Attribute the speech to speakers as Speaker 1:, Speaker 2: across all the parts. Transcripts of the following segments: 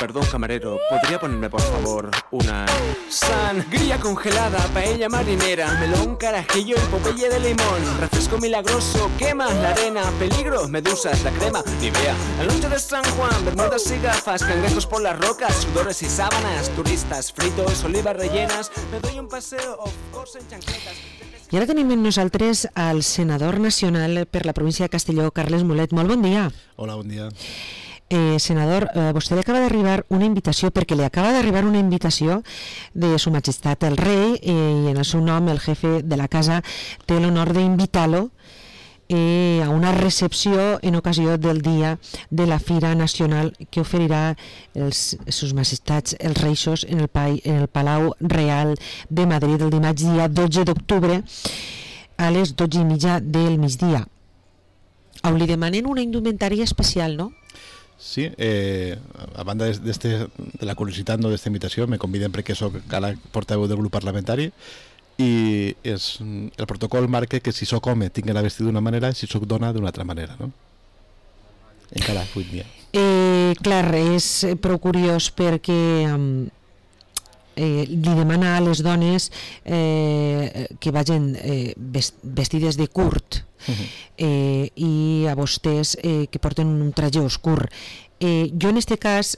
Speaker 1: Perdón, camarero, ¿podría ponerme por favor una sangría congelada, paella marinera, melón, carajillo y popeye de limón, refresco milagroso, quema la arena, peligro, medusas, la crema, Nivea, la noche de San Juan, bermudas y gafas, cangrejos por las rocas, sudores y sábanas, turistas, fritos, olivas rellenas, me doy un paseo of course en chancletas.
Speaker 2: I ara tenim amb nosaltres el senador nacional per la província de Castelló, Carles Mulet. Molt bon dia.
Speaker 3: Hola, bon dia.
Speaker 2: Senador, vostè li acaba d'arribar una invitació, perquè li acaba d'arribar una invitació de Su Majestat el Rei, i en el seu nom el jefe de la casa té l'honor d'invitar-lo a una recepció en ocasió del dia de la Fira Nacional que oferirà Sus Majestats els Reixos en el Palau Real de Madrid el dimarts dia 12 d'octubre a les 12:30 del migdia. Li demanen una indumentària especial, no?
Speaker 3: Sí, a banda de la curiositat d'esta invitació, me conviden perquè soc ara portaveu del grup parlamentari i el protocol marca que si soc home tinc d'anar vestit d'una manera i si soc dona d'una altra manera, no? Encara avui dia.
Speaker 2: Clar, és prou curiós perquè li demana a les dones que vagin vestides de curt i a vostès que porten un traje oscur. Jo en este cas...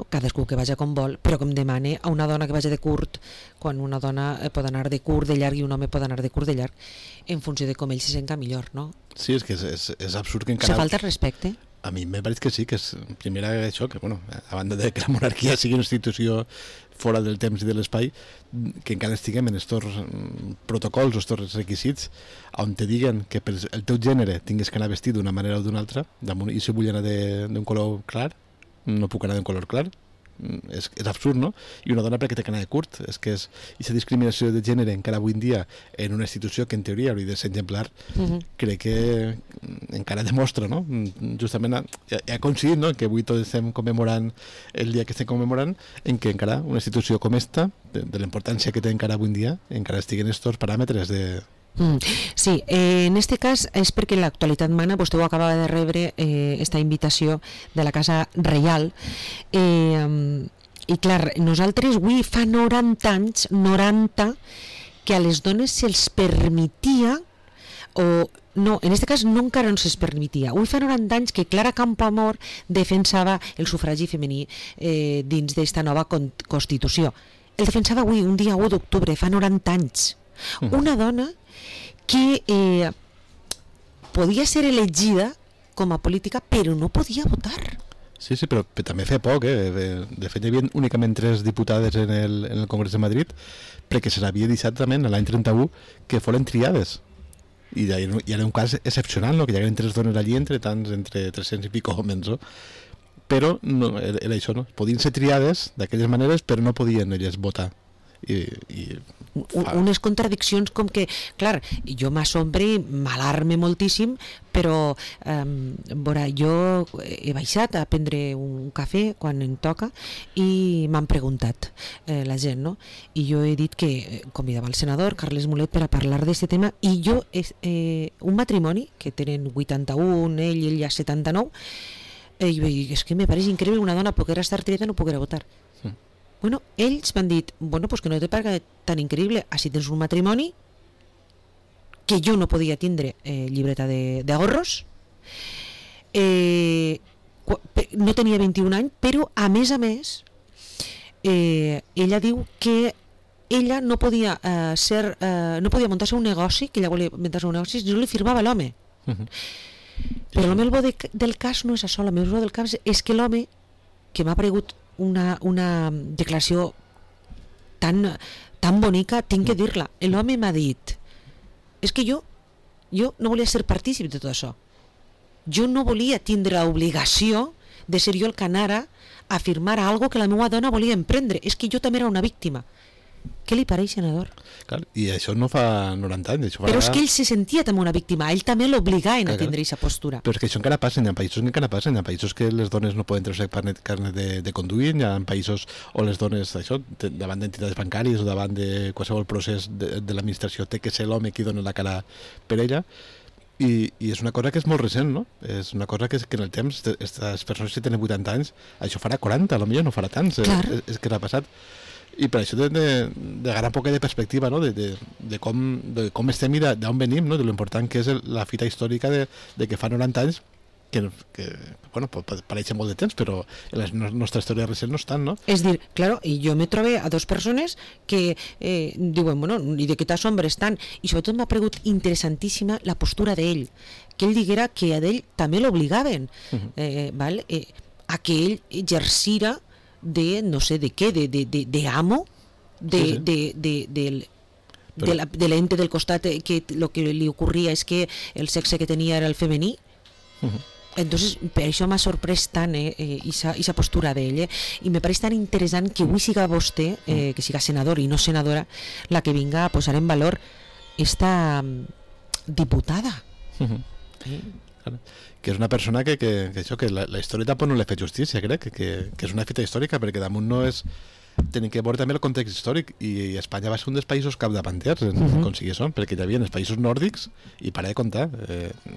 Speaker 2: cadascú que vagi com vol, però que em demane a una dona que vagi de curt, quan una dona pot anar de curt de llarg i un home pot anar de curt de llarg, en funció de com ell se senta millor, no?
Speaker 3: Sí, és que és absurd que encara...
Speaker 2: Se falta respecte?
Speaker 3: A mi me pareix que sí, que és primera això, que a banda de que la monarquia sigui una institució fora del temps i de l'espai, que encara estiguem en estos protocols o estos requisits on te diguen que per el teu gènere tingues que anar vestit d'una manera o d'una altra, i si vull anar d'un color clar, no puc anar d'un color clar, és absurd, no? I una dona perquè té que anar de curt, és que és aquesta discriminació de gènere encara avui en dia en una institució que en teoria hauria de ser exemplar, crec que encara demostra, no? Justament ha coincidit, no?, que avui tots estem commemorant el dia que estem commemorant, en què encara una institució com esta, de la importància que té encara avui en dia, encara estiguen estos paràmetres de...
Speaker 2: Sí, en este cas és perquè en l'actualitat mana, vostè ho acaba de rebre esta invitació de la Casa Reial i clar, nosaltres avui fa 90 anys, 90, que a les dones se'ls permetia o no, en aquest cas no encara no se'ls permetia. Avui fa 90 anys que Clara Campoamor defensava el sufragi femení dins d'esta nova Constitució. El defensava avui, un dia 1 d'octubre, fa 90 anys. Una dona que podia ser elegida com a política però no podia votar.
Speaker 3: Sí, però també fa poc, de fet hi havia únicament 3 diputades en el Congrés de Madrid perquè se l'havia deixat també l'any 31 que foren triades i era un cas excepcional, no? Que hi hagueren 3 dones allí entre 300 i pico homes, no? Però no, era això, no? Podien ser triades d'aquelles maneres però no podien elles votar.
Speaker 2: Unes contradiccions com que, clar, jo m'assombre i m'alarme moltíssim, però jo he baixat a prendre un cafè quan em toca i m'han preguntat la gent, no? I jo he dit que convidava el senador Carles Mulet per a parlar d'aquest tema i jo, un matrimoni que tenen 81, ell ja 79, i vaig dir, és que me pareix increïble una dona poder estar triada no poder votar. Bueno, ells m'han dit, pues que no te parga tan increïble, així tens un matrimoni que jo no podia tindre llibreta d'ahorros, no tenia 21 anys, però a més ella diu que ella no podia no podia muntar-se un negoci, que ella volia muntar-se un negoci, no li firmava l'home. Però el meu bo del cas no és això, el meu bo del cas és que l'home, que m'ha paregut una declaració tan bonica, tinc que dir-la. L'home m'ha dit, és que jo no volia ser partícip de tot això. Jo no volia tindre l'obligació de ser jo el que anara a firmar algo que la meva dona volia emprendre. És que jo també era una víctima. Què li pareix, senador?
Speaker 3: Clar, i això no fa 90 anys.
Speaker 2: Però és que ell se sentia també una víctima, ell també l'obligaven a tindre aquesta postura.
Speaker 3: Però és que això encara passa, hi ha països que encara passen, hi ha països que les dones no poden treure carnet de conduir, hi ha països on les dones, això, davant d'entitats bancàries o davant de qualsevol procés de l'administració té que ser l'home qui dona la cara per ella. i és una cosa que és molt recent, no? És una cosa que en el temps, aquestes persones que tenen 80 anys, això farà 40, potser no farà tants, és que l'ha passat. I per això d'agarrar un poc de perspectiva, no? de com estem i d'on venim, no? De l'important que és la fita històrica de que fa 90 anys, que bueno, pareix molt de temps, però en la nostra història recent no estan, no?
Speaker 2: És dir, claro, i jo me trobé a dos persones que diuen, bueno, i de què t'assombres tant? I sobretot m'ha paregut interessantíssima la postura d'ell, que ell diguera que a d'ell també l'obligaven, val? A que ell exercira de no sé de què, de amo, de l'ente del costat, que lo que li ocorria és que el sexe que tenia era el femení. Entonces, per això m'ha sorprès tant esa postura d'ell, i me pareix tan interessant que avui siga vostè, que siga senador i no senadora, la que vinga a posar en valor esta diputada.
Speaker 3: Que és una persona que la història tampoc no li ha fet justícia, crec, que és una fita històrica, perquè damunt no és... Tenim que veure també el context històric, i Espanya va ser un dels països capdavanters en aconseguir això, perquè hi havia els països nòrdics, i para de comptar,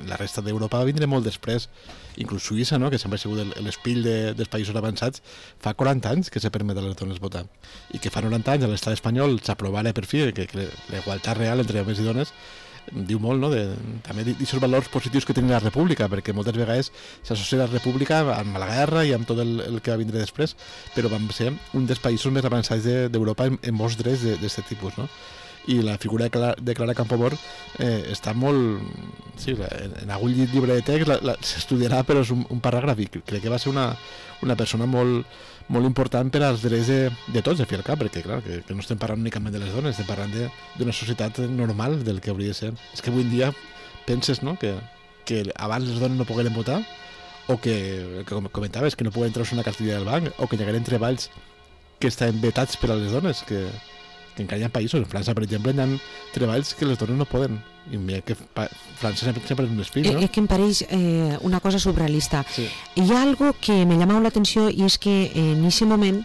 Speaker 3: la resta d'Europa va vindre molt després, inclús Suïssa, no? Que sempre ha sigut l'espill dels països avançats, fa 40 anys que se permet a les dones votar, i que fa 90 anys a l'estat espanyol s'aprovara per fi que la igualtat real entre homes i dones, diu molt, no? També d'aquests valors positius que tenia la república, perquè moltes vegades s'associa la república amb la guerra i amb tot el que va vindre després, però vam ser un dels països més avançats d'Europa en molts drets d'aquest tipus, no? I la figura de Clara Campoamor està molt... Sí, en algun llibre de text s'estudiarà, però és un paràgraf, i crec que va ser una persona molt important per als drets de tots, de fi al cap, perquè clar, que no estem parlant únicament de les dones, estem parlant d'una societat normal, del que hauria de ser. És que avui en dia penses, no?, que abans les dones no pogueren votar, o que comentaves, que no pogueren treure una cartilla del banc, o que hi hagueren treballs que estaven vetats per a les dones, que encara hi ha països, en França, per exemple, hi ha treballs que les dones no poden. I mira que França sempre és un espill, ¿no?
Speaker 2: Es que em pareix una cosa surrealista.
Speaker 3: Sí.
Speaker 2: Hi ha algo que me llama la atenció, i és que en aquest moment,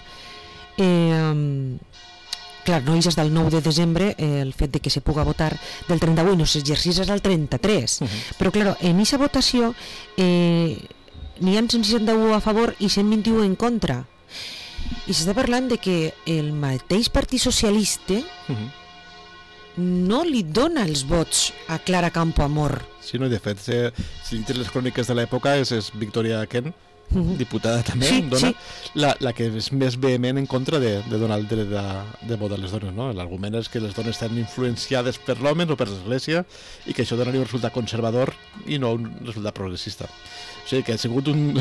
Speaker 2: clar, no és del 9 de desembre el fet de que se puga votar del 38, no s'exercís del 33, però clar, en aquesta votació n'hi ha 161 a favor i 121 en contra. I s'està parlant de que el mateix Partit Socialista no li dona els vots a Clara Campoamor.
Speaker 3: Sí, no, i de fet, si dites les cròniques de l'època, és Victoria Kent, diputada també, dona la que és més vehement en contra de donar el dret de vot a les dones, no? L'argument és que les dones estan influenciades per l'home o per l'església, i que això donaria un resultat conservador i no un resultat progressista. O sigui que ha sigut un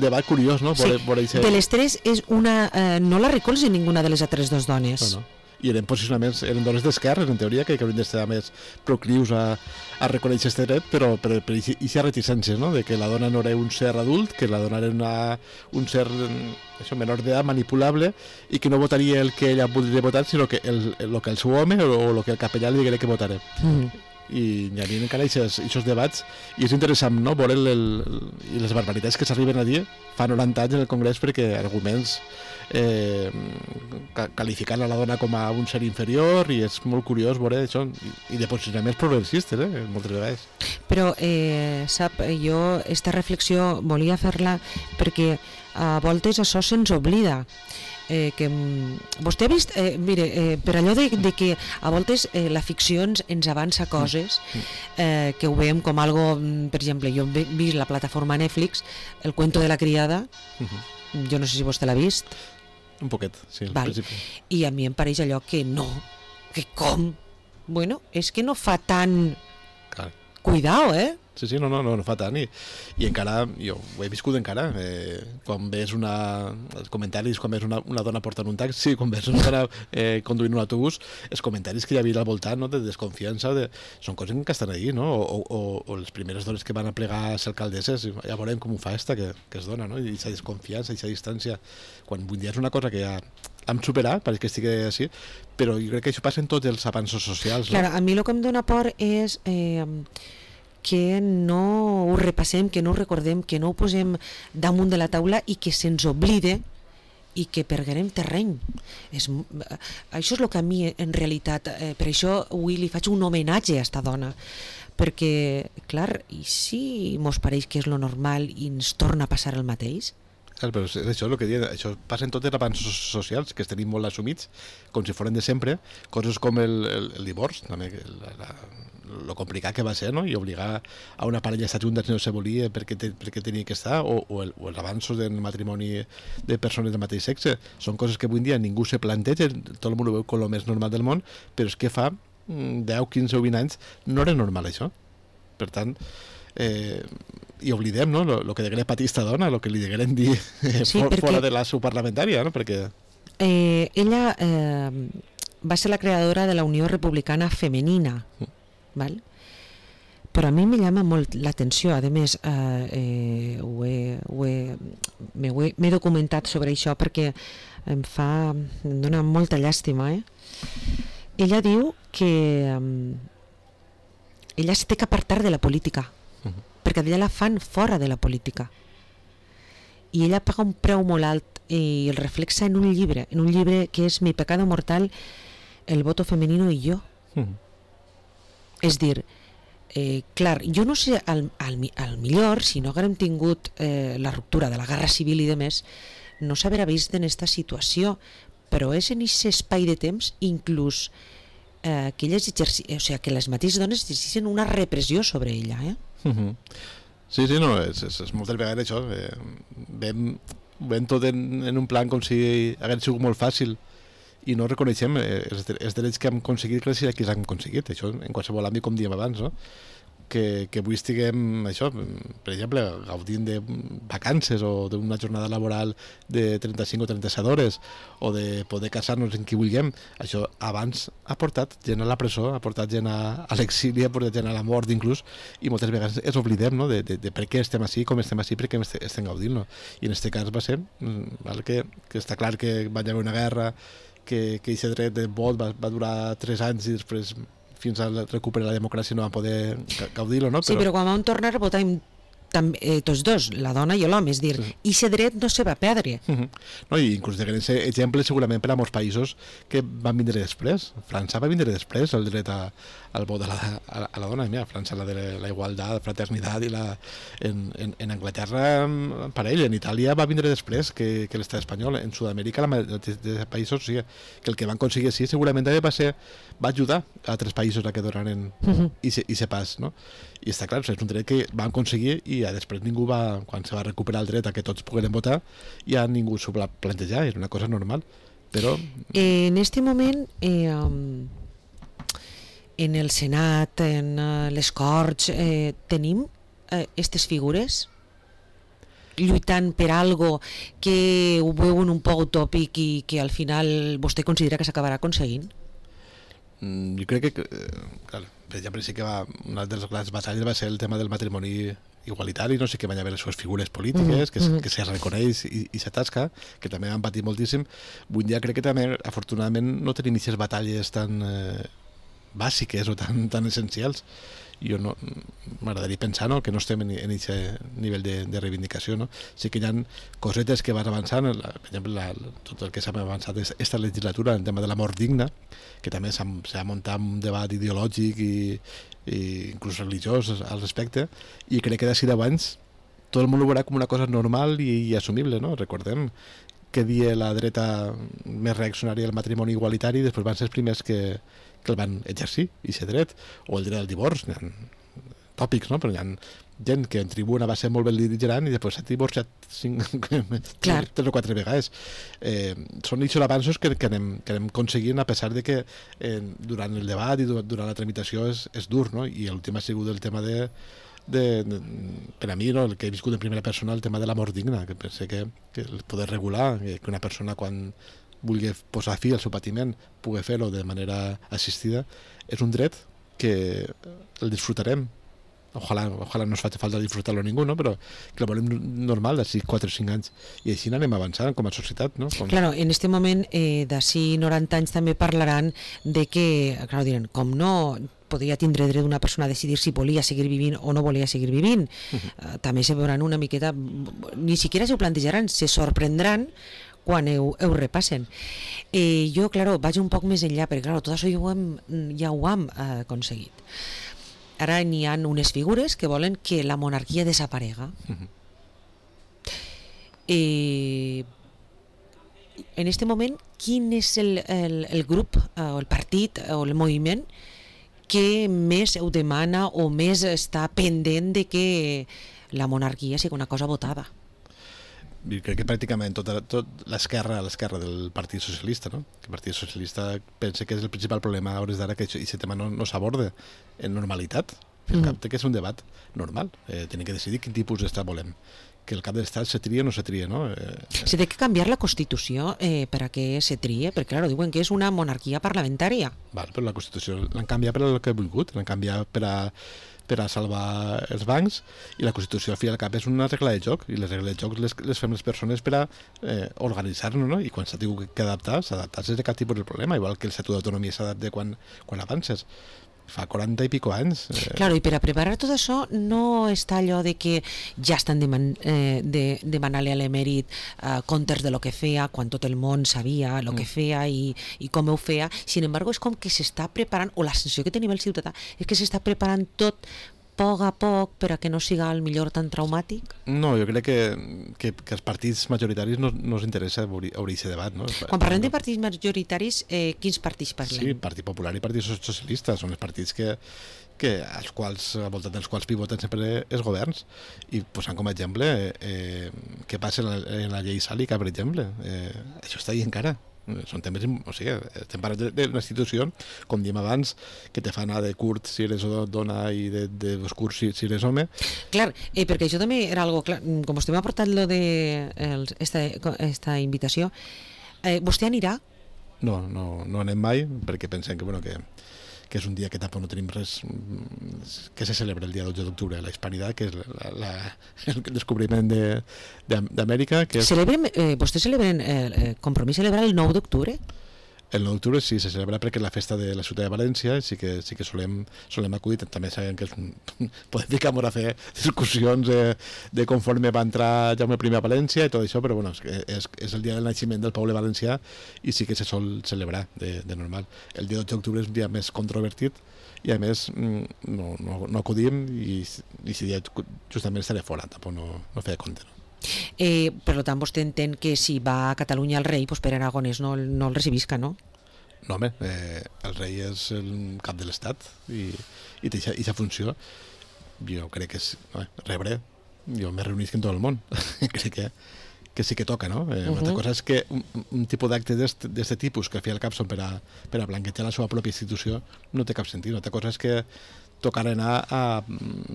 Speaker 3: debat curiós, no?
Speaker 2: Sí, de les tres és una... no la recolza ninguna de les altres dues dones.
Speaker 3: No. I eren posicionaments, eren dones d'esquerres, en teoria, que haurien d'estar més proclius a reconèixer aquest dret, però per aquesta reticència, no?, de que la dona no era un ser adult, que la dona era un ser menor d'edat, manipulable, i que no votaria el que ella voldria votar, sinó que el que el seu home o el que el capellà li diguera que votarà. I hi havia encara aquests debats, i és interessant, no?, veure i les barbaritats que s'arriben a dir fa 90 anys en el Congrés, perquè arguments qualificant a la dona com a un ser inferior, i és molt curiós veure això, i de posicionaments progressistes, moltes vegades.
Speaker 2: Però, sap, jo esta reflexió volia fer-la perquè a voltes això se'ns oblida. Que vostè ha vist, mire, per allò de que a voltes la ficció ens avança coses que ho veiem com algo, per exemple, jo he vist la plataforma Netflix, El cuento de la criada, jo no sé si vostè l'ha vist.
Speaker 3: Un poquet, sí, al principi.
Speaker 2: I a mi em pareix allò que no, que com? Bueno, és que no fa tant...
Speaker 3: Clar.
Speaker 2: Cuidao,
Speaker 3: Sí, no fa tant, i encara, jo ho he viscut encara, quan ves els comentaris, quan ves una dona portant un taxi, quan ves una dona conduint un autobús, els comentaris que hi havia al voltant, no?, de desconfiança, són coses que estan ahí, no?, o les primeres dones que van a plegar a ser alcaldesses, ja veurem com ho fa que es dona, no?, i aquesta desconfiança, aquesta distància, quan avui dia és una cosa que ja hem superat, pareix que estigui així, però jo crec que això passa en tots els avanços socials, no?
Speaker 2: Clar, a mi el que em dona por és que no ho repassem, que no ho recordem, que no ho posem damunt de la taula i que se'ns oblide i que perguem terreny. Això és el que a mi, en realitat, per això avui li faig un homenatge a esta dona, perquè, clar, i si mos pareix que és lo normal i ens torna a passar el mateix?
Speaker 3: Clar, però és això el que diuen, això passa en tots els avanços socials, que els tenim molt assumits, com si foren de sempre, coses com el divorç, també, lo complicat que va ser, no? I obligar a una parella a estar juntes no se volia perquè tenia que estar, o els avanços del matrimoni de persones del mateix sexe, són coses que avui en dia ningú se planteja, tot el món ho veu com el més normal del món, però és que fa 10, 15 o 20 anys no era normal això. Per tant, i oblidem, no?, lo que degueren patir esta dona, lo que li degueren dir fora de la seu parlamentària, no?, perquè...
Speaker 2: ella va ser la creadora de la Unió Republicana Femenina, ¿vale? Però a mi me llama molt l'atenció, a més m'he documentat sobre això perquè em dona molta llàstima. Ella diu que ella es té que apartar de la política, perquè d'ella la fan fora de la política, i ella paga un preu molt alt i el reflexa en un llibre que és Mi pecado mortal, el voto femenino y yo. És dir, clar, jo no sé, al millor, si no haguérem tingut la ruptura de la guerra civil i demés, no s'haurà vist en aquesta situació, però és en aquest espai de temps inclús que elles que les mateixes dones exerceixen una repressió sobre ella.
Speaker 3: Sí, no, és moltes vegades això, veiem tot en un plan com si hagués sigut molt fàcil i no reconeixem els drets que hem aconseguit que els que hem aconseguit, això en qualsevol àmbit, com diem abans, no? Que avui estiguem, això, per exemple, gaudint de vacances o d'una jornada laboral de 35 o 37 hores o de poder casar-nos en qui vulguem, això abans ha portat gent a la presó, ha portat gent a l'exili, ha portat gent a la mort inclús, i moltes vegades ens oblidem, no?, de per què estem així, com estem així, per què estem gaudint, no? I en aquest cas va ser que està clar que va haver una guerra, que aquest dret de vot va durar 3 anys i després fins a recuperar la democràcia no van poder gaudir-lo, no?
Speaker 2: Sí, però quan vam tornar a votar tots dos, la dona i l'home, és dir, i aquest dret no se va perdre.
Speaker 3: No, i inclús de grans exemples segurament per a molts països que van vindre després. França va vindre després el dret al vot a la dona. Mira, França la de la igualtat, fraternitat, i en Anglaterra per ell, en Itàlia va vindre després que l'estat espanyol. En Sud-amèrica, la majoria de països, o sigui, que el que van aconseguir així segurament també va ajudar a altres països a que donaren i se pas, no? I està clar, és un dret que van aconseguir i després ningú quan se va recuperar el dret a que tots pogueren votar, ja ningú s'ho va plantejar, era una cosa normal, però...
Speaker 2: En este moment, en el Senat, en les Corts, tenim aquestes figures lluitant per algo que ho veuen un poc utòpic i que al final vostè considera que s'acabarà aconseguint?
Speaker 3: Jo crec que, clar, per exemple, sí que una de les grans batalles va ser el tema del matrimoni igualitari, no sé, que van haver les seves figures polítiques, que se reconeix i s'atasca, que també han patit moltíssim. Avui dia crec que també, afortunadament, no tenim aquestes batalles tan bàsiques o tan essencials. Jo m'agradaria pensar, no?, que no estem en aquest nivell de reivindicació, no? Sí que hi ha cosetes que van avançant, per exemple, tot el que s'ha avançat aquesta legislatura, el tema de la mort digna, que també s'ha muntat un debat ideològic i inclús religiós al respecte, i crec que d'ací 10 anys tot el món ho veurà com una cosa normal i assumible, no? Recordem que dia la dreta més reaccionària al matrimoni igualitari, després van ser els primers que el van exercir, i ser dret, o el dret al divorç, hi ha tòpics, no? Però hi ha gent que en tribuna va ser molt bel·ligerant i després s'ha divorciat 3 o 4 vegades. Són aquests avanços que anem aconseguint, a pesar de que durant el debat i durant la tramitació és dur, no? I l'últim ha sigut el tema per a mi, no, el que he viscut en primera persona, el tema de la mort digna, que penso que el poder regular, que una persona quan vulgui posar fi al seu patiment pugui fer-ho de manera assistida, és un dret que el disfrutarem. Ojalà no ens faci falta disfrutar-lo a ningú, no? Però que el volem normal d'ací 4 o 5 anys. I així anem avançant com a societat, no?
Speaker 2: Claro, en este moment, d'ací 90 anys també parlaran de que, claro, diran, com no podria tindre dret una persona a decidir si volia seguir vivint o no volia seguir vivint. També se veuran una miqueta, ni siquiera se ho plantejaran, se sorprendran quan ho repassen. Jo, claro, vaig un poc més enllà, perquè, claro, tot això ja ho hem aconseguit. ara n'hi ha unes figures que volen que la monarquia desaparega. En este moment, quin és el grup o el partit o el moviment que més ho demana o més està pendent de que la monarquia sigui una cosa votada?
Speaker 3: I crec que pràcticament tot l'esquerra del Partit Socialista, no? Que el Partit Socialista pensa que és el principal problema a hores d'ara, que aquest tema no s'aborda en normalitat. El cap té que és un debat normal. Tenim que decidir quin tipus d'estat volem. Que el cap de l'estat se tria o no se tria, no?
Speaker 2: Se té que canviar la Constitució per a que se trie, perquè clar, diuen que és una monarquia parlamentària.
Speaker 3: Val, però la Constitució l'han canviat per el que he volgut, l'han canviat per a salvar els bancs, i la Constitució al fi i al cap és una regla de joc, i les regles de joc les fem les persones per a organitzar-nos, no? I quan s'ha tingut que adaptar, s'adaptar sense cap tipus de problema, igual que el Estatut d'Autonomia s'adapta quan avances. Fa 40 i pico anys.
Speaker 2: Claro, i per a preparar tot això no està allò de que ja estan demanant-li a l'emèrit comptes de lo que feia, quan tot el món sabia el que feia i com ho feia. Sin embargo, és com que s'està preparant, o la sensació que tenim el ciutadà és que s'està preparant tot poc a poc per a que no siga el millor tan traumàtic?
Speaker 3: No, jo crec que els partits majoritaris no els interessa obrir aquest debat, no?
Speaker 2: Quan parlem de partits majoritaris, quins partits parlem?
Speaker 3: Sí, Partit Popular i Partit Socialista són els partits al voltant dels quals pivoten sempre els governs, i posant com a exemple què passa en la llei Sàlica, per exemple. Això està ahí encara. Són temes, o sigui, estem parlant d'una institució, com diem abans, que te fa anar de curt si eres dona i d'oscur si eres home.
Speaker 2: Clar, perquè això també era algo clar, com vostè m'ha portat lo de esta invitació, vostè anirà?
Speaker 3: No anem mai, perquè pensem que és un dia que tampoc no tenim res, que se celebra el dia 12 d'octubre, la Hispanitat, que és el descobriment d'Amèrica.
Speaker 2: Vostès celebren, Compromís celebra el 9 d'octubre?
Speaker 3: El 9 d'octubre sí, se celebra perquè és la festa de la ciutat de València, sí que solem acudir. També sabem que podem ficar-nos a fer discussions de conforme va entrar Jaume I a València i tot això, però bueno, és el dia del naixement del poble valencià i sí que se sol celebrar de normal. El dia 12 d'octubre és un dia més controvertit i a més no acudim, i si dia justament estaré fora, tampoc no feia compte, no?
Speaker 2: Per tant, vostè entén que si va a Catalunya el rei, doncs per Aragonès no el recibisca, no?
Speaker 3: No, home, el rei és el cap de l'estat i té aquesta funció. Jo crec que és rebre, jo m'he reunit amb tot el món. Crec que sí que toca, no? Una altra cosa és que un tipus d'acte d'aquest tipus, que al fi i al cap són per a blanquejar la seva pròpia institució, no té cap sentit. Una altra cosa és que tocar anar a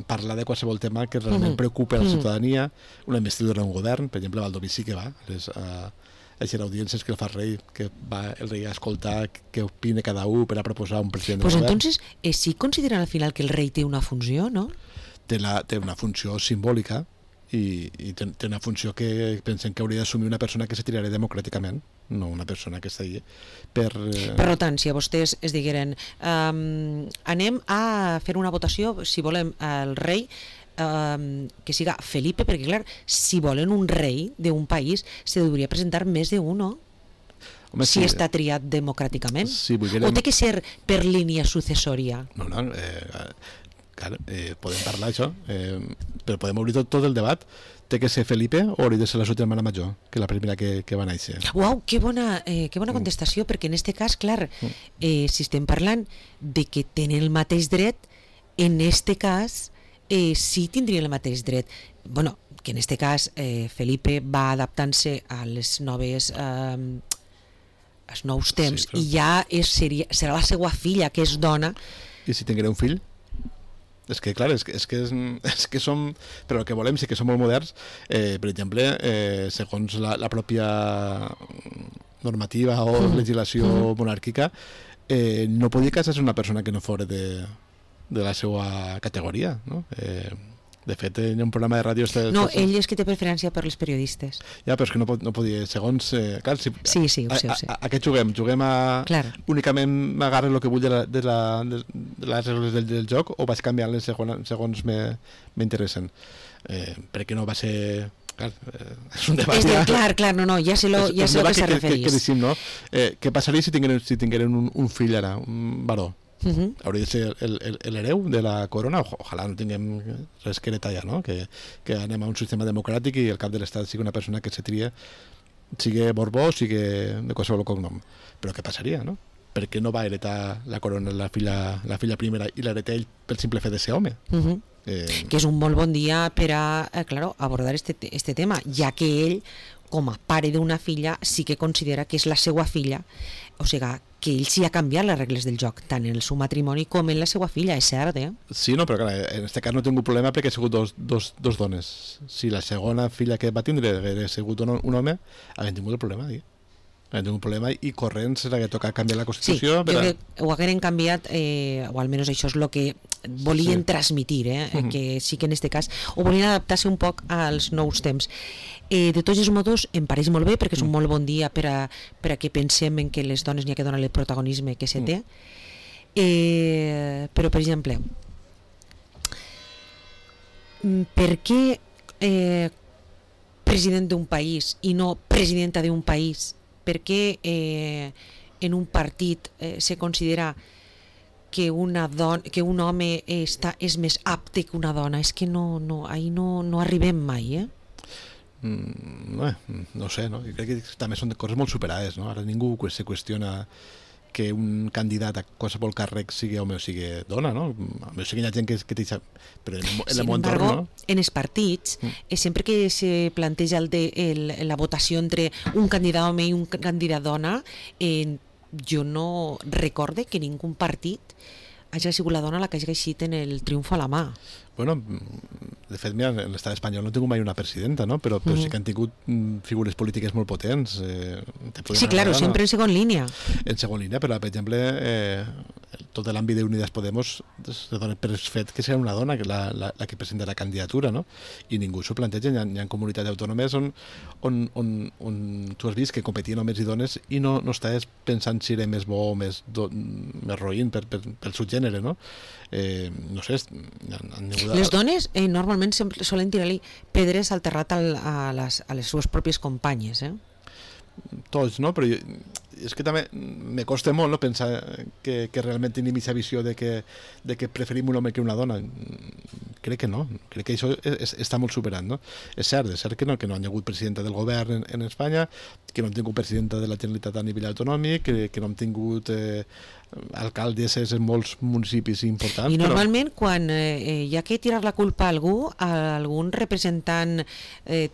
Speaker 3: parlar de qualsevol tema que realment preocupa a la ciutadania, una investidura d'un govern. Per exemple, Baldoví sí que va a les audiències que el fa el rei, que va el rei a escoltar què opina cada un per a proposar un president
Speaker 2: pues
Speaker 3: del govern.
Speaker 2: Entonces, sí consideren al final que el rei té una funció, no?
Speaker 3: Té una funció simbòlica i té una funció que pensem que hauria d'assumir una persona que se tirarà democràticament, no una persona que està allà
Speaker 2: Per tant, si a vostès es digueren anem a fer una votació si volem el rei que siga Felipe, perquè clar, si volen un rei d'un país se hauria presentar més d'un, no?
Speaker 3: Home,
Speaker 2: si està triat democràticament, o té que ser per línia successòria?
Speaker 3: No, clar, podem parlar això, però podem obrir tot el debat. Té que ser Felipe o hauria de ser la seva germana major, que és la primera que va néixer?
Speaker 2: Uau, que bona contestació, perquè en este cas, clar, si estem parlant de que tenen el mateix dret, en este cas sí tindrien el mateix dret. Bueno, que en este cas Felipe va adaptant-se a les noves als nous temps, sí, però... i ja serà la seva filla, que és dona.
Speaker 3: I si tinguera un fill? És que, clar, és que som... Però el que volem sí que som molt moderns. Per exemple, segons la pròpia normativa o legislació monàrquica, no podia casar-se una persona que no fora de la seva categoria, no? De fet, hi ha un programa de ràdio...
Speaker 2: No, ell és que té preferència per les periodistes.
Speaker 3: Ja, però és que no podia, segons... Clar,
Speaker 2: sí, ho sé.
Speaker 3: A què juguem? Juguem a...
Speaker 2: Clar.
Speaker 3: Únicament m'agarro el que vull de les regles del joc, o vaig canviant-les segons m'interessen? Perquè no va ser... Clar, és un debat...
Speaker 2: Clar, no, ja sé lo que s'ha referit.
Speaker 3: No? Què passaria si tingueren un fill ara, un baró? Hauria de ser l'hereu de la corona. Ojalà no tinguem res que heretar ja, no? Que anem a un sistema democràtic i el cap de l'estat sigui una persona que se tria, sigui Borbó o sigui de qualsevol cognom. Però què passaria, no? Per què no va heretar la corona la filla primera i l'hereta ell pel simple fet de ser home?
Speaker 2: Que és un molt bon dia per a abordar este tema, ja que ell, com a pare d'una filla, sí que considera que és la seva filla, o sigui, que ell sí ha canviat les regles del joc, tant en el seu matrimoni com en la seva filla, és cert, eh?
Speaker 3: Sí, no, però clar, en aquest cas no tinc un problema perquè ha sigut dos dones. Si la segona filla que va tindre hagués sigut un home, haguem tingut el problema, tinc un problema i corrents era que toca canviar la Constitució.
Speaker 2: Sí, jo crec que ho hagueren canviat, o almenys això és el que volien transmitir, que sí que en aquest cas ho volien adaptar-se un poc als nous temps. De tots els modos em pareix molt bé perquè és un molt bon dia per a que pensem en que les dones n'hi ha que donar el protagonisme que se té, però per exemple, per què president d'un país i no presidenta d'un país? Per què en un partit se considera que un home és més apte que una dona? És que ahí no arribem mai,
Speaker 3: no sé, no? Jo crec que també són coses molt superades, no? Ara ningú se qüestiona que un candidat a qualsevol càrrec sigui home o sigui dona, no? O sigui, hi ha gent que té... Però en el món entorn, no?
Speaker 2: En els partits, sempre que se planteja la votació entre un candidat home i un candidat dona, jo no recorde que ningú partit hagi sigut la dona la que hagi eixit en el triomf a la mà.
Speaker 3: Bueno, de fet, mira, en l'estat espanyol no he tingut mai una presidenta, no? Però sí que han tingut figures polítiques molt potents.
Speaker 2: Sí, claro, sempre en segon línia.
Speaker 3: En segon línia, però, per exemple, tot l'àmbit d'Unidas Podemos se dona per fet que serà una dona la que presenta la candidatura, no? I ningú s'ho planteja. Hi ha comunitats autònomes on tu has vist que competien homes i dones i no estàs pensant si era més bo o més roïn pel seu gènere, no? No sé,
Speaker 2: les dones normalment solen tirar-li pedres al terrat a les seves pròpies companyes,
Speaker 3: Tots, no? Però és que també me costa molt, no, pensar que realment tenim aquesta visió de que preferim un home que una dona. Crec que no, crec que això està molt superat, no? És cert que no han hagut presidenta del govern en Espanya, que no han tingut presidenta de la Generalitat a nivell autonòmic, que no han tingut alcaldesses en molts municipis importants.
Speaker 2: I normalment quan hi ha que tirar la culpa a algun representant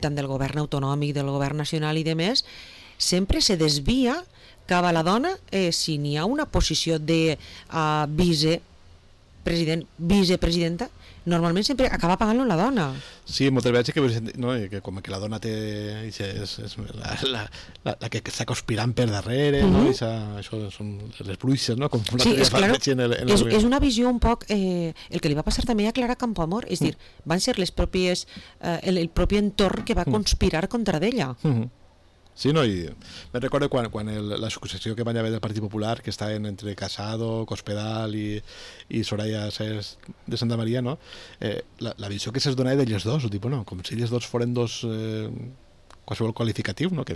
Speaker 2: tant del govern autonòmic, del govern nacional i demés, sempre se desvia cap a la dona si n'hi ha una posició de vicepresidenta, normalment sempre acaba pagant-lo la dona.
Speaker 3: Sí, moltes vegades que com que la dona té és la que està conspirant per darrere, no? Això són les bruixes, no?
Speaker 2: Sí, és clar, és una visió un poc el que li va passar també a Clara Campoamor, és dir, van ser les pròpies el propi entorn que va conspirar contra d'ella.
Speaker 3: Sí, no, i me'n recordo quan la successió que van haver del Partit Popular, que estaven entre Casado, Cospedal i Soraya Sáenz de Santa Maria, no? La visió que se'ls donava d'elles dos, no? Com si elles dos foren dos qualsevol qualificatiu, no? Que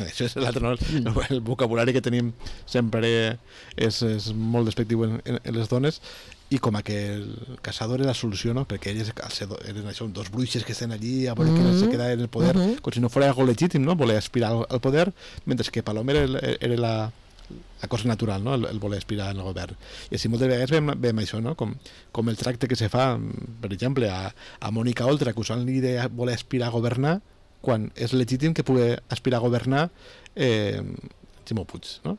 Speaker 3: això és l'altre, no? El vocabulari que tenim sempre és molt despectiu en les dones, i com que el Casado era la solució, no? Perquè elles eren això, dos bruixes que estan allí a veure qui se queda en el poder, com si no fos algo legítim, no? Voler aspirar al poder, mentre que Paloma era la cosa natural, no? El voler aspirar al govern. I així moltes vegades veiem això, no? Com el tracte que se fa, per exemple, a Mònica Oltra, acusant-li de voler aspirar a governar, quan és legítim que pugui aspirar a governar Ximo Puig, no?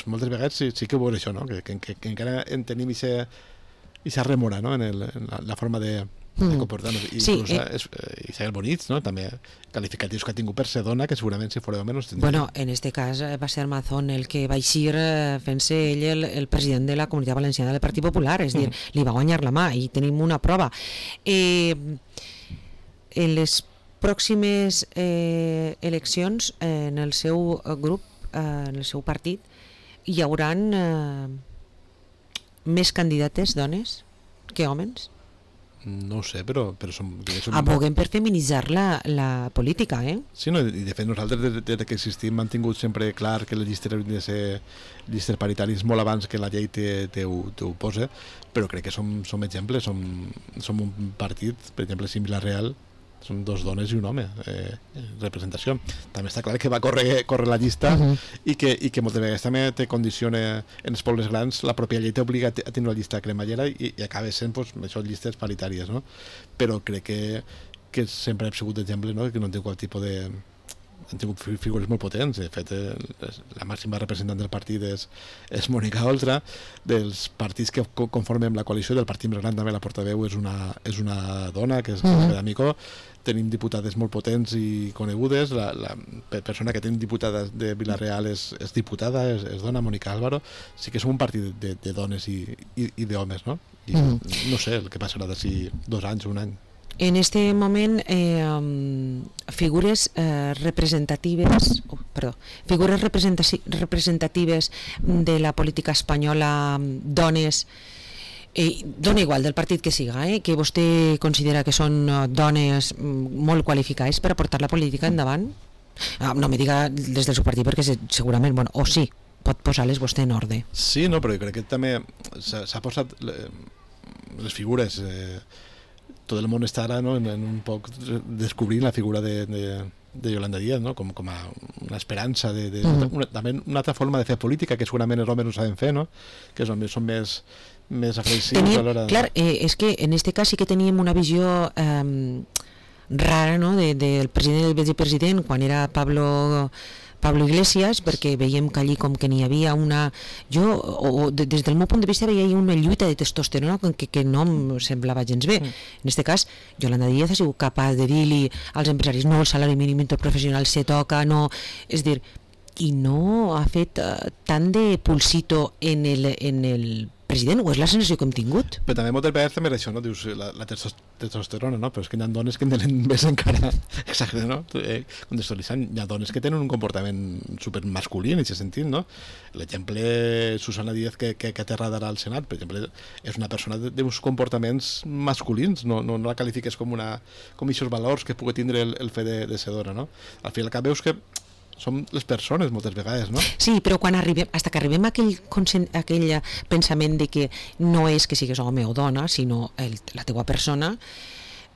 Speaker 3: Moltes vegades sí que ho veus això, no? Que encara en tenim aquesta remora, no? En la forma de comportar-nos. I
Speaker 2: sí,
Speaker 3: Isabel Bonitz, no? També qualificatius que ha tingut per ser dona, que segurament si fora home no es tindria.
Speaker 2: Bueno, en este cas va ser Mazón el que va eixir fent-se ell el president de la Comunitat Valenciana del Partit Popular, és dir, li va guanyar la mà i tenim una prova. En les pròximes eleccions en el seu grup, en el seu partit, hi hauran més candidates dones que homes?
Speaker 3: No ho sé, però
Speaker 2: Aboguen per feminitzar la política, eh?
Speaker 3: Sí, no, i de fet nosaltres des que existim hem tingut sempre clar que les llistes haurien de ser llistes paritàries molt abans que la llei t'ho posa, però crec que som exemples, som un partit, per exemple, si Vila-real són 2 dones i un home, representació. També està clar que va córrer la llista i que moltes vegades també te condiciona en els pobles grans, la pròpia llei t'obliga a tenir una llista cremallera i acaba sent pues, això, llistes paritàries, no? Però crec que sempre hem sigut d'exemple, no? Que no han tingut cap tipus de... Han tingut figures molt potents. De fet, la màxima representant del partit és Mònica Oltra. Dels partits que conformem la coalició, del partit més gran també la portaveu és una dona, que és D'Amico. Tenim diputades molt potents i conegudes. La persona que tenim diputada de Vila-real és diputada, és dona, Mònica Álvaro. Sí que som un partit de dones i d'homes, no? I no sé el que passarà d'ací 2 anys o 1 any.
Speaker 2: En este moment, figures representatives de la política espanyola, dones, dona igual del partit que siga, que vostè considera que són dones molt qualificades per a portar la política endavant? No me diga des del seu partit, perquè segurament, bueno, o sí, pot posar-les vostè en ordre.
Speaker 3: Sí, no, però jo crec que també s'ha posat les figures... tot el món està ara, no, en un poc descobrint la figura de Yolanda Díaz, no, com a una esperança també una altra forma de fer política que segurament els homes no saben fer, no, que els homes són més afreixius a l'hora de...
Speaker 2: Clar, és que en este cas sí que teníem una visió rara, no, del president i del vicepresident quan era Pablo Iglesias, perquè veiem que allí com que n'hi havia una... des del meu punt de vista veia una lluita de testosterona que no em semblava gens bé. En aquest cas, Yolanda Díaz ha sigut capaç de dir-li als empresaris no, el salari mínim interprofessional se toca, no... És dir, i no ha fet tant de pulsito en el president, o és la sensació que hem tingut?
Speaker 3: Però també moltes vegades també és això, no? Dius la testosterona, no? Però és que hi ha dones que en tenen més encara exagerat, no? Contextualitzant, hi ha dones que tenen un comportament supermasculí en aquest sentit, no? L'exemple Susana Díaz que aterrada al Senat, per exemple, és una persona d'uns comportaments masculins, no la qualifiques com aquests valors que pugui tindre el fet de ser dona, no? Al final cap veus que som les persones moltes vegades, no?
Speaker 2: Sí, però quan arribem, fins que arribem a aquell pensament de que no és que sigues home o dona, sinó la teua persona,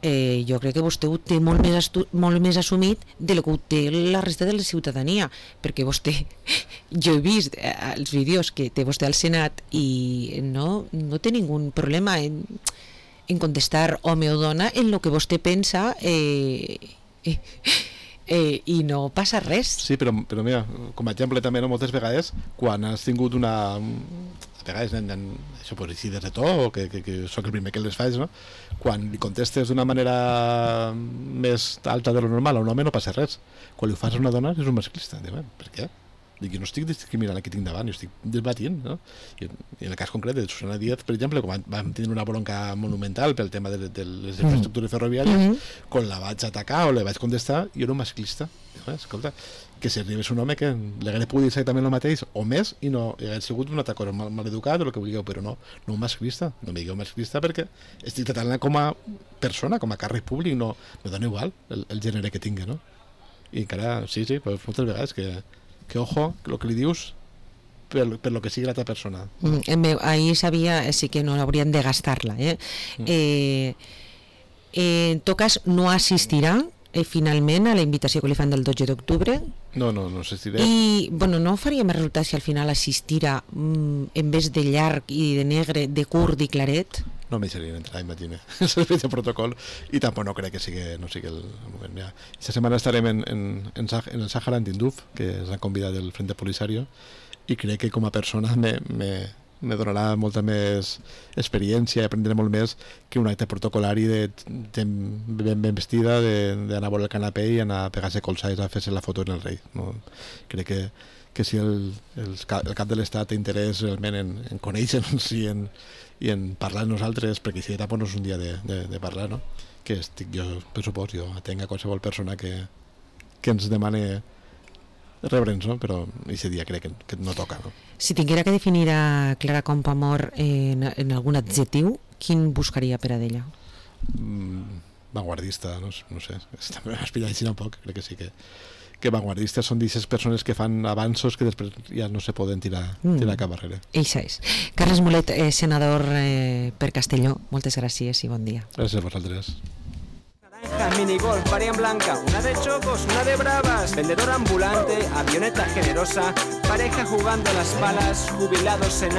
Speaker 2: jo crec que vostè ho té molt més assumit de lo que ho té la resta de la ciutadania, perquè vostè, jo he vist els vídeos que té vostè al Senat i no té ningú problema en contestar home o dona en lo que vostè pensa i no passa res.
Speaker 3: Sí, però mira, com a exemple també, no, moltes vegades quan has tingut a vegades això pot ser de to o que sóc el primer que les faig, no? Quan li contestes d'una manera més alta de lo normal a un home no passa res, quan li ho fas a una dona és un masclista. Per què? Dic, jo no estic discriminant el que tinc davant, jo estic debatint, no? I en el cas concret de Susana Díaz, per exemple, quan vam tenir una bronca monumental pel tema de les infraestructures ferroviàries, quan la vaig atacar o la vaig contestar, jo era un masclista. Escolta, que si arribés un home que li hagués pogut dir exactament el mateix o més i no hagués sigut un atac mal educat o el que vulgueu, però no un masclista. No me digueu masclista perquè estic tratant-la com a persona, com a càrrec públic, no me dona igual el gènere que tingui, no? I encara, sí, però moltes vegades que ojo, el que li dius per lo que sigui l'altra persona.
Speaker 2: Ahí sabia, sí que no haurien de gastar-la. En tot cas, no assistirà finalment a la invitació que li fan del 12 d'octubre.
Speaker 3: No assistiré.
Speaker 2: I, bueno, no faria més resultat si al final assistirà en vez de llarg i de negre, de curt i claret?
Speaker 3: No me deixarien entrar, imagina. És el fet de protocol i tampoc no crec que sigui el moment. Ja. Esta setmana estarem en el Sàhara en Tinduf, que ens han convidat del Frente Polisario, i crec que com a persona me donarà molta més experiència i aprendré molt més que un acte protocolari ben vestida, d'anar a veure el canapé i anar a pegar-se colzades a fer-se la foto en el rei. No? Crec que si el cap de l'Estat té interès realment en conèixer-nos i en parlar amb nosaltres, perquè si tampoc no és un dia de parlar, no? Que estic jo, per supòs, jo atenc a qualsevol persona que ens demane rebre'ns, no? Però aquest dia crec que no toca, no?
Speaker 2: Si tinguera que definir a Clara Campoamor en algun adjectiu, quin buscaria per a d'ella?
Speaker 3: vanguardista, no sé, també m'has pillat així un poc, crec que sí que vanguardistes són d'aquestes persones que fan avanços que després ja no se poden tirar cap barrera.
Speaker 2: Eixa és. Carles Mulet, senador per Castelló, moltes gràcies i bon dia.
Speaker 3: Gràcies a vosaltres.
Speaker 1: Naranja, minigolf, variant blanca, una de chocos, una de bravas, vendedor ambulante, avioneta generosa, pareja jugando a las balas, jubilados en